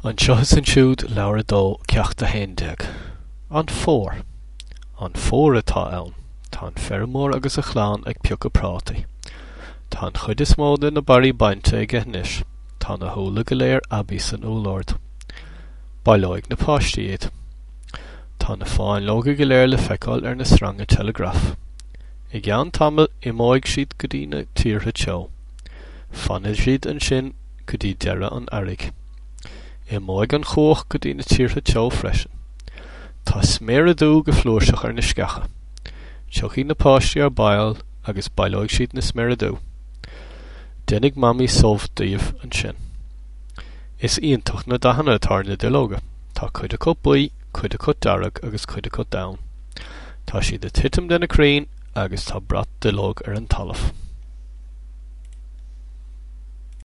Anseo is Ansiúd, Leabhar 2, Ceacht 11. An Fómhar. An fómhar atá ann. Tá an feirmeoir agus a chlann ag piocadh prátaí. Tá an chuid is mó de na barraí bainte aige anois. Tá na húlla go léir aibí san úllord. Baileoidh na páistí iad. Tá na fáinleoga go léir le feiceáil ar na sreanga teileagraif. I gceann tamaill imeoidh siad go dtí na tíortha teo. Fanfaidh siad ansin go dtí deireadh an earraigh. Imeoidh an chuach go dtí na tíortha teo freisin. Tá sméara dubha go flúirseach ar na sceacha. Tiocfaidh na páistí ar ball agus baileoidh siad na sméara dubha. Déanfaidh Mamaí subh díobh ansin. Is iontach na dathanna atá ar na duilleoga. Tá cuid acu buí, cuid acu dearg agus cuid acu donn. Tá siad ag titim de na crainn agus tá brat duilleog ar an talamh.